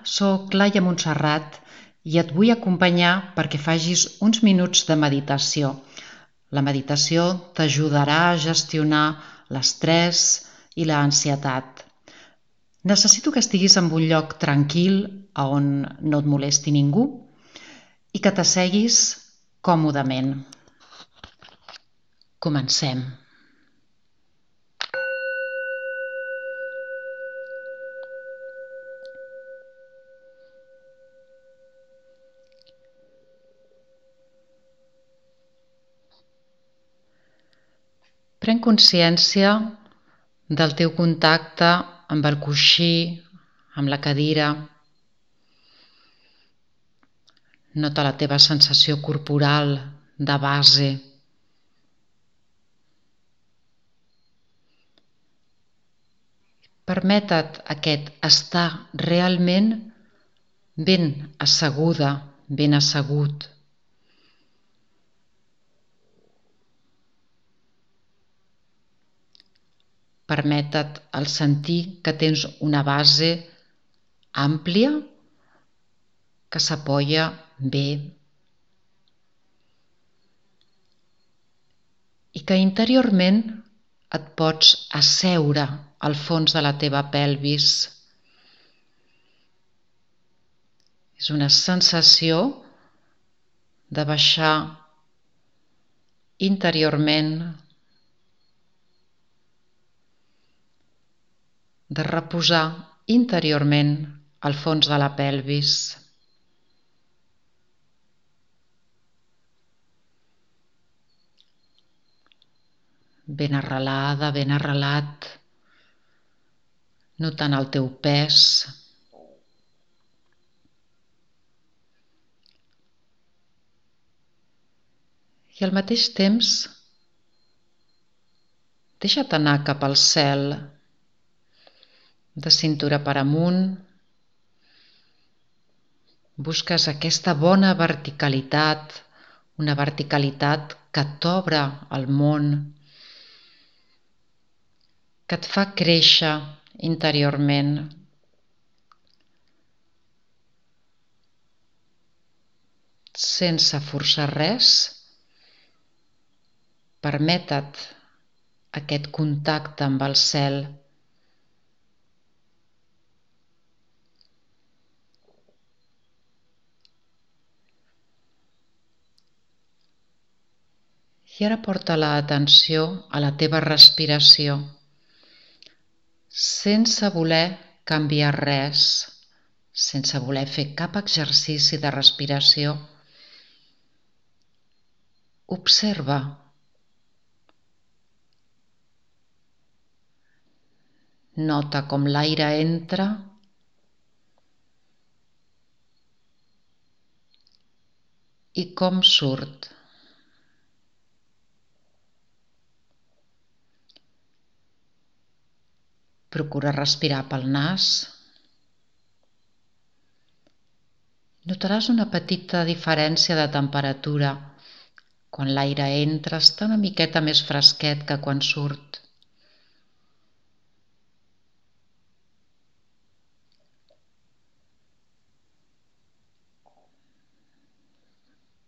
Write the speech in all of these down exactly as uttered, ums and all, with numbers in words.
soc Laia Montserrat i et vull acompanyar perquè facis uns minuts de meditació. La meditació t'ajudarà a gestionar l'estrès i l'ansietat. Necessito que estiguis en un lloc tranquil on no et molesti ningú i que t'asseguis còmodament. Comencem. Pren consciència del teu contacte amb el coixí, amb la cadira. Nota la teva sensació corporal de base. Permeta't aquest estar realment ben asseguda, ben assegut. Permeta't el sentir que tens una base àmplia que s'apoya bé i que interiorment et pots asseure al fons de la teva pelvis. És una sensació de baixar interiorment, de reposar interiorment al fons de la pelvis. Ben arrelada, ben arrelat, notant el teu pes. I al mateix temps, deixa't anar cap al cel, de cintura per amunt. Busques aquesta bona verticalitat, una verticalitat que t'obre al món, que et fa créixer interiorment. Sense forçar res, permeta't aquest contacte amb el cel. I ara porta l'atenció a la teva respiració, sense voler canviar res, sense voler fer cap exercici de respiració. Observa. Nota com l'aire entra i com surt. Procura respirar pel nas. Notaràs una petita diferència de temperatura. Quan l'aire entra està una miqueta més fresquet que quan surt.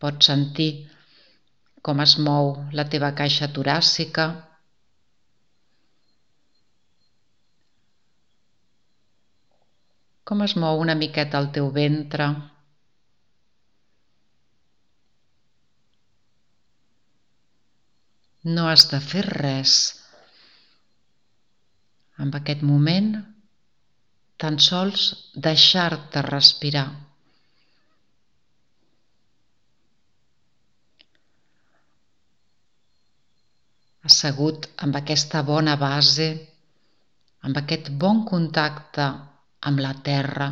Pots sentir com es mou la teva caixa toràcica. Com es mou una miqueta el teu ventre. No has de fer res. En aquest moment, tan sols deixar-te respirar. Assegut amb aquesta bona base, amb aquest bon contacte amb la terra,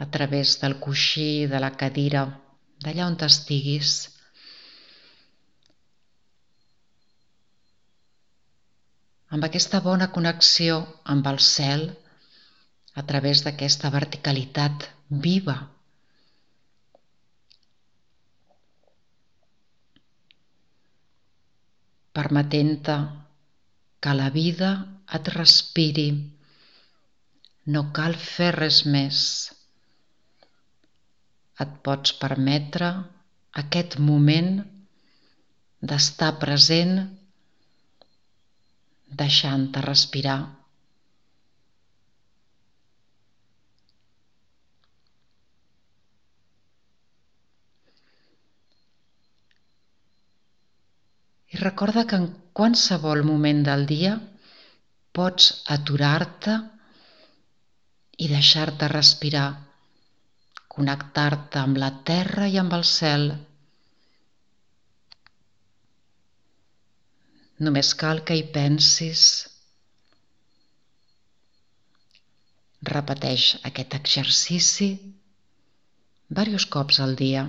a través del coixí, de la cadira, d'allà on estiguis. Amb aquesta bona connexió amb el cel, a través d'aquesta verticalitat viva. Permetent-te que la vida et respiri. No cal fer res més. et pots permetre aquest moment d'estar present, deixant-te respirar. I recorda que en qualsevol moment del dia pots aturar-te i deixar-te respirar, connectar-te amb la terra i amb el cel. Només cal que hi pensis. Repeteix aquest exercici diversos cops al dia.